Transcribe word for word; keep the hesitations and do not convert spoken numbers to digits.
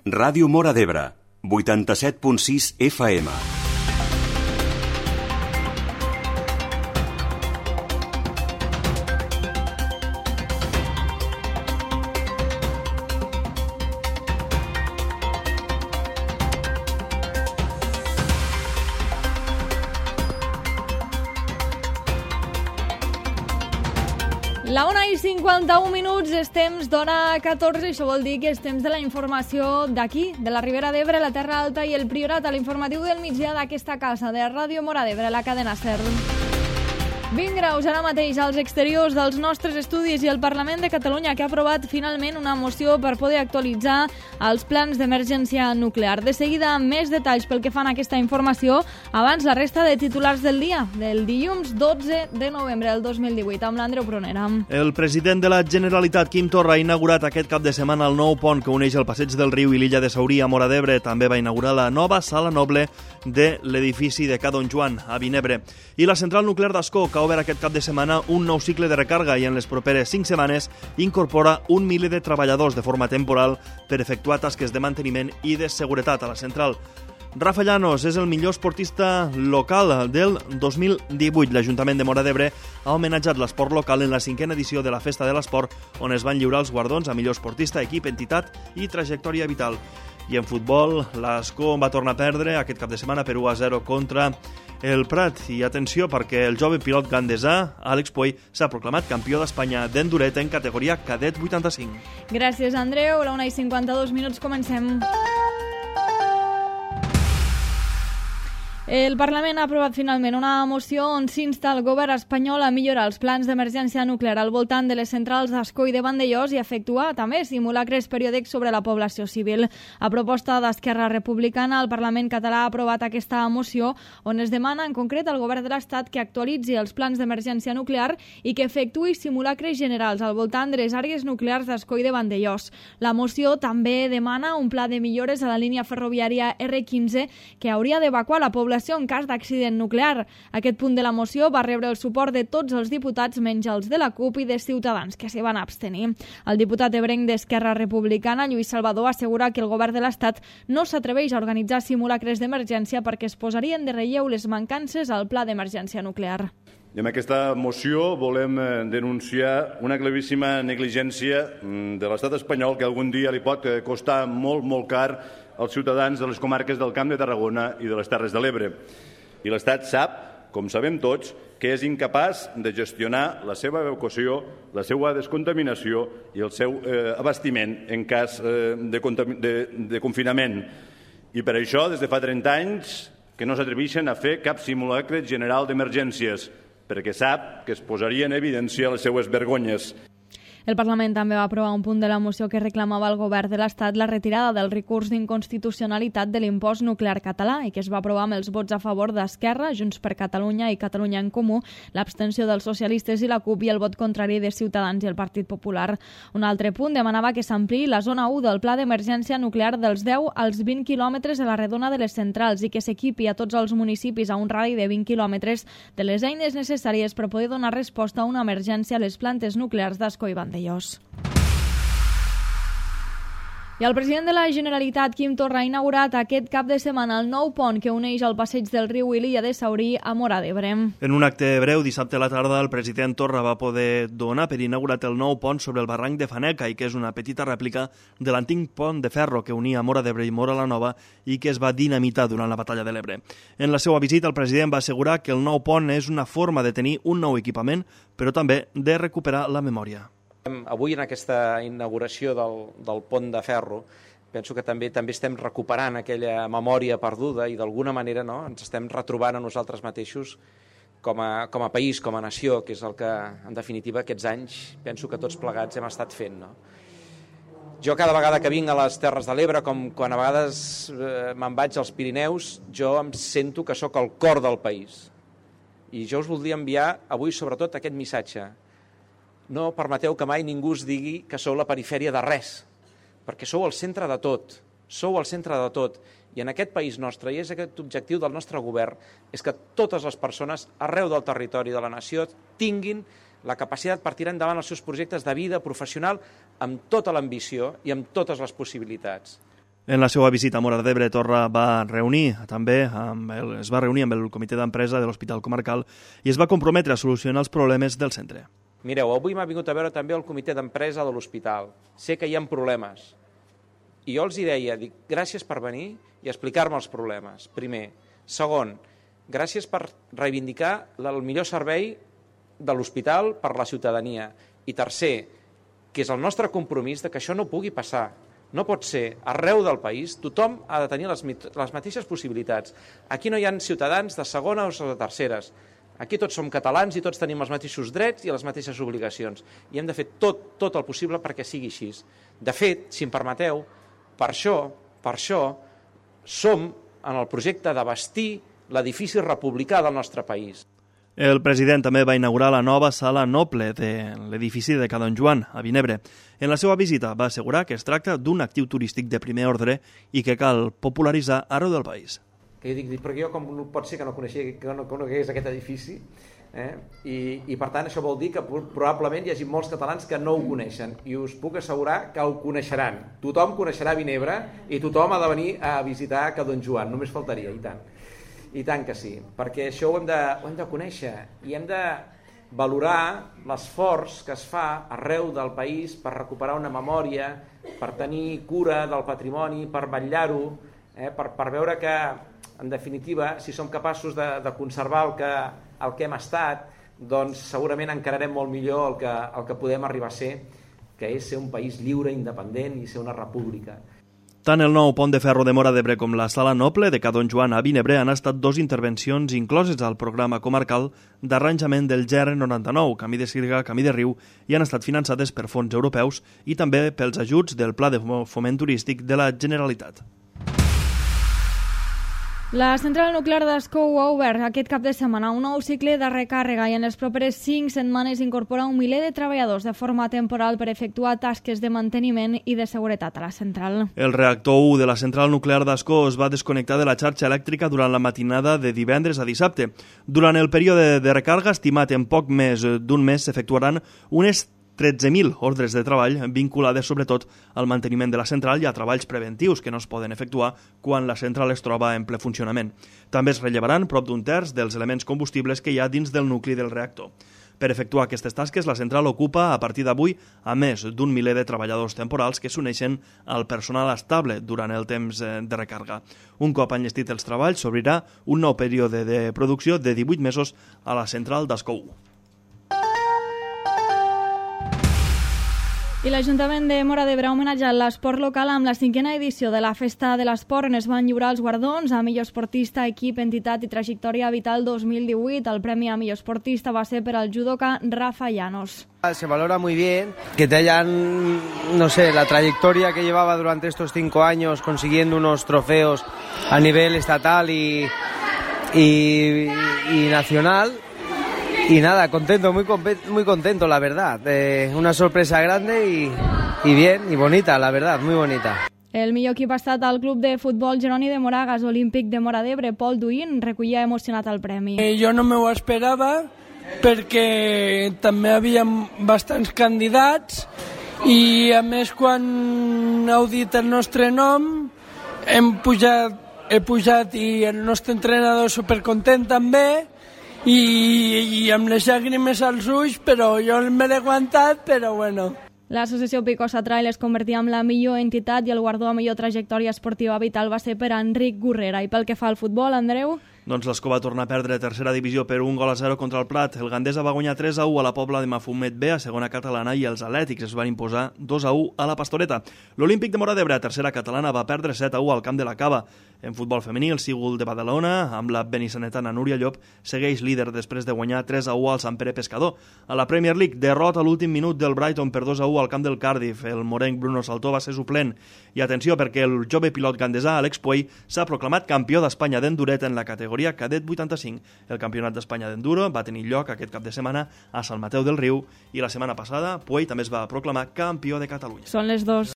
Ràdio Móra d'Ebre, vuitanta-set punt sis F M. La una i cinquanta-un minuts, és temps d'hora catorze, això vol dir que és temps de la informació d'aquí, de la Ribera d'Ebre, la Terra Alta i el Priorat, a l'informatiu del migdia d'aquesta casa de Ràdio Móra d'Ebre, la cadena SER. vint graus ara mateix als exteriors dels nostres estudis i el Parlament de Catalunya, que ha aprovat finalment una moció per poder actualitzar els plans d'emergència nuclear. De seguida, més detalls pel que fan a aquesta informació, abans la resta de titulars del dia, del dilluns dotze de novembre del dos mil divuit, amb l'Andreu Prunera. El president de la Generalitat, Quim Torra, ha inaugurat aquest cap de setmana el nou pont que uneix el Passeig del Riu i l'illa de Saurí a Móra d'Ebre. També va inaugurar la nova sala noble de l'edifici de Ca Don Joan, a Vinebre. I la central nuclear d'Ascó, que ha obert aquest cap de setmana un nou cicle de recarga i en les properes cinc setmanes incorpora un miler de treballadors de forma temporal per efectuar tasques de manteniment i de seguretat a la central. Rafa Llanos és el millor esportista local del dos mil divuit. L'Ajuntament de Móra d'Ebre ha homenatjat l'esport local en la cinquena edició de la Festa de l'Esport, on es van lliurar els guardons a millor esportista, equip, entitat i trajectòria vital. I en futbol, l'Ascó va tornar a perdre aquest cap de setmana per u a zero contra el Prat. I atenció, perquè el jove pilot gandesà, Àlex Puey, s'ha proclamat campió d'Espanya d'enduret en categoria cadet vuitanta-cinc. Gràcies, Andreu. A la una i cinquanta-dos minuts comencem. El Parlament ha aprovat finalment una moció on s'insta el govern espanyol a millorar els plans d'emergència nuclear al voltant de les centrals d'Ascó i de Vandellòs i efectuar també simulacres periòdics sobre la població civil. A proposta d'Esquerra Republicana, el Parlament català ha aprovat aquesta moció on es demana en concret al govern de l'Estat que actualitzi els plans d'emergència nuclear i que efectuï simulacres generals al voltant de les àrees nuclears d'Ascó i de Vandellòs. La moció també demana un pla de millores a la línia ferroviària erre quinze que hauria d'evacuar la població en cas d'accident nuclear. Aquest punt de la moció va rebre el suport de tots els diputats menys els de la CUP i de Ciutadans, que s'hi van abstenir. El diputat ebrenc d'Esquerra Republicana, Lluís Salvador, assegura que el govern de l'Estat no s'atreveix a organitzar simulacres d'emergència perquè es posarien de relleu les mancances al pla d'emergència nuclear. I amb aquesta moció volem denunciar una claríssima negligència de l'estat espanyol que algun dia li pot costar molt, molt car als ciutadans de les comarques del Camp de Tarragona i de les Terres de l'Ebre. I l'Estat sap, com sabem tots, que és incapaç de gestionar la seva evacuació, la seva descontaminació i el seu eh, abastiment en cas eh, de, de, de confinament. I per això, des de fa trenta anys, que no s'atreveixen a fer cap simulacre general d'emergències, perquè sap que es posaria en evidència les seues vergonyes. El Parlament també va aprovar un punt de la moció que reclamava al govern de l'Estat la retirada del recurs d'inconstitucionalitat de l'impost nuclear català i que es va aprovar amb els vots a favor d'Esquerra, Junts per Catalunya i Catalunya en Comú, l'abstenció dels socialistes i la CUP i el vot contrari de Ciutadans i el Partit Popular. Un altre punt demanava que s'ampliï la zona u del pla d'emergència nuclear dels deu als vint quilòmetres de la redona de les centrals i que s'equipi a tots els municipis a un radi de vint quilòmetres de les eines necessàries per poder donar resposta a una emergència a les plantes nuclears d'Ascó i Vandellòs. I el president de la Generalitat, Quim Torra, ha inaugurat aquest cap de setmana el nou pont que uneix el Passeig del Riu i l'illa de Saurí a Móra d'Ebre. En un acte breu, dissabte a la tarda, el president Torra va poder donar per inaugurat el nou pont sobre el barranc de Faneca i que és una petita rèplica de l'antic pont de ferro que unia Móra d'Ebre i Móra la Nova i que es va dinamitar durant la batalla de l'Ebre. En la seva visita, el president va assegurar que el nou pont és una forma de tenir un nou equipament, però també de recuperar la memòria. Avui, en aquesta inauguració del, del pont de ferro, penso que també també estem recuperant aquella memòria perduda i d'alguna manera no, ens estem retrobant a nosaltres mateixos com a, com a país, com a nació, que és el que, en definitiva, aquests anys penso que tots plegats hem estat fent. No? Jo cada vegada que vinc a les Terres de l'Ebre, com quan a vegades eh, me'n vaig als Pirineus, jo em sento que sóc el cor del país. I jo us voldria enviar avui sobretot aquest missatge. No permeteu que mai ningú us digui que sou la perifèria de res, perquè sou el centre de tot, sou el centre de tot. I en aquest país nostre, i és aquest objectiu del nostre govern, és que totes les persones arreu del territori de la nació tinguin la capacitat per tirar endavant els seus projectes de vida professional amb tota l'ambició i amb totes les possibilitats. En la seva visita a Móra d'Ebre, Torra va reunir també amb el, es va reunir amb el comitè d'empresa de l'Hospital Comarcal i es va comprometre a solucionar els problemes del centre. Mireu, avui m'ha vingut a veure també el comitè d'empresa de l'hospital. Sé que hi ha problemes. I jo els hi deia, dic, gràcies per venir i explicar-me els problemes, primer. Segon, gràcies per reivindicar el millor servei de l'hospital per la ciutadania. I tercer, que és el nostre compromís de que això no pugui passar. No pot ser, arreu del país, tothom ha de tenir les, les mateixes possibilitats. Aquí no hi ha ciutadans de segona o de terceres. Aquí tots som catalans i tots tenim els mateixos drets i les mateixes obligacions. I hem de fer tot, tot el possible perquè sigui així. De fet, si em permeteu, per això, per això som en el projecte de bastir l'edifici republicà del nostre país. El president també va inaugurar la nova sala noble de l'edifici de Ca Don Joan, a Vinebre. En la seva visita va assegurar que es tracta d'un actiu turístic de primer ordre i que cal popularitzar arreu del país. Que jo dic, perquè jo com pot ser que no coneixia, que no conegués aquest edifici, eh? I, i per tant això vol dir que probablement hi hagi molts catalans que no ho coneixen i us puc assegurar que ho coneixeran. Tothom coneixerà Vinebre i tothom ha de venir a visitar Ca Don Joan, només faltaria, i tant. I tant que sí, perquè això ho hem de, ho hem de conèixer i hem de valorar l'esforç que es fa arreu del país per recuperar una memòria, per tenir cura del patrimoni, per vetllar-ho, eh, per, per veure que, en definitiva, si som capaços de, de conservar el que, el que hem estat, doncs segurament encararem molt millor el que, el que podem arribar a ser, que és ser un país lliure, independent i ser una república. Tant el nou pont de ferro de Móra d'Ebre com la sala noble de Ca Don Joan a Vinebre han estat dos intervencions incloses al programa comarcal d'arranjament del G R noranta-nou, Camí de Sirga, Camí de Riu, i han estat finançades per fons europeus i també pels ajuts del Pla de Foment Turístic de la Generalitat. La central nuclear d'Ascou ha obert aquest cap de setmana un nou cicle de recàrrega i en les properes cinc setmanes incorpora un miler de treballadors de forma temporal per efectuar tasques de manteniment i de seguretat a la central. El reactor u de la central nuclear d'Ascó es va desconnectar de la xarxa elèctrica durant la matinada de divendres a dissabte. Durant el període de recàrrega, estimat en poc més d'un mes, s'efectuaran unes tretze mil ordres de treball vinculades sobretot al manteniment de la central i a treballs preventius que no es poden efectuar quan la central es troba en ple funcionament. També es rellevaran prop d'un terç dels elements combustibles que hi ha dins del nucli del reactor. Per efectuar aquestes tasques, la central ocupa a partir d'avui a més d'un miler de treballadors temporals que s'uneixen al personal estable durant el temps de recàrrega. Un cop enllestit els treballs, s'obrirà un nou període de producció de divuit mesos a la central d'Ascou. I l'Ajuntament de Móra d'Ebre ha homenatjat l'esport local amb la cinquena edició de la Festa de l'Esport, on es van lliurar els guardons a millor esportista, equip, entitat i trajectòria vital dos mil divuit. El premi a millor esportista va ser per al judoka Rafa Llanos. Se valora muy bien que te hayan, no sé, la trayectoria que llevaba durante estos cinco años consiguiendo unos trofeos a nivel estatal y, y, y nacional. Y nada, contento, muy, muy contento, la verdad. Eh, una sorpresa grande y, y bien, y bonita, la verdad, muy bonita. El millor equip ha estat el club de futbol Jeroni de Moragas, olímpic de Móra d'Ebre. Pol Duín recollia emocionat el premi. Eh, jo no m'ho esperava perquè també hi havia bastants candidats i a més quan heu dit el nostre nom hem pujat, he pujat i el nostre entrenador supercontent també. I, i amb les llàgrimes als ulls, però jo me l'he aguantat, però bueno. L'associació Picosa Trail es convertia en la millor entitat i el guardó a millor trajectòria esportiva vital va ser per a Enric Gurrera. I pel que fa al futbol, Andreu? Doncs l'Escó va tornar a perdre tercera divisió per un gol a zero contra el Prat. El Gandesa va guanyar tres a u a la Pobla de Mafumet B, a segona catalana, i els Atlètics es van imposar dos a u a la Pastoreta. L'Olímpic de Móra d'Ebre, a tercera catalana, va perdre set a u al camp de la Cava. En futbol femení, el Sigul de Badalona, amb la benissanetana Núria Llop, segueix líder després de guanyar tres a u al Sant Pere Pescador. A la Premier League, derrota a l'últim minut del Brighton per dos a u al camp del Cardiff. El morenc Bruno Saltó va ser suplent. I atenció, perquè el jove pilot gandesà Alex Puey s'ha proclamat campió d'Espanya d'enduret en la categoria cadet vuitanta-cinc. El campionat d'Espanya d'enduro va tenir lloc aquest cap de setmana a Sant Mateu del Riu i la setmana passada Puey també es va proclamar campió de Catalunya. Són les dos.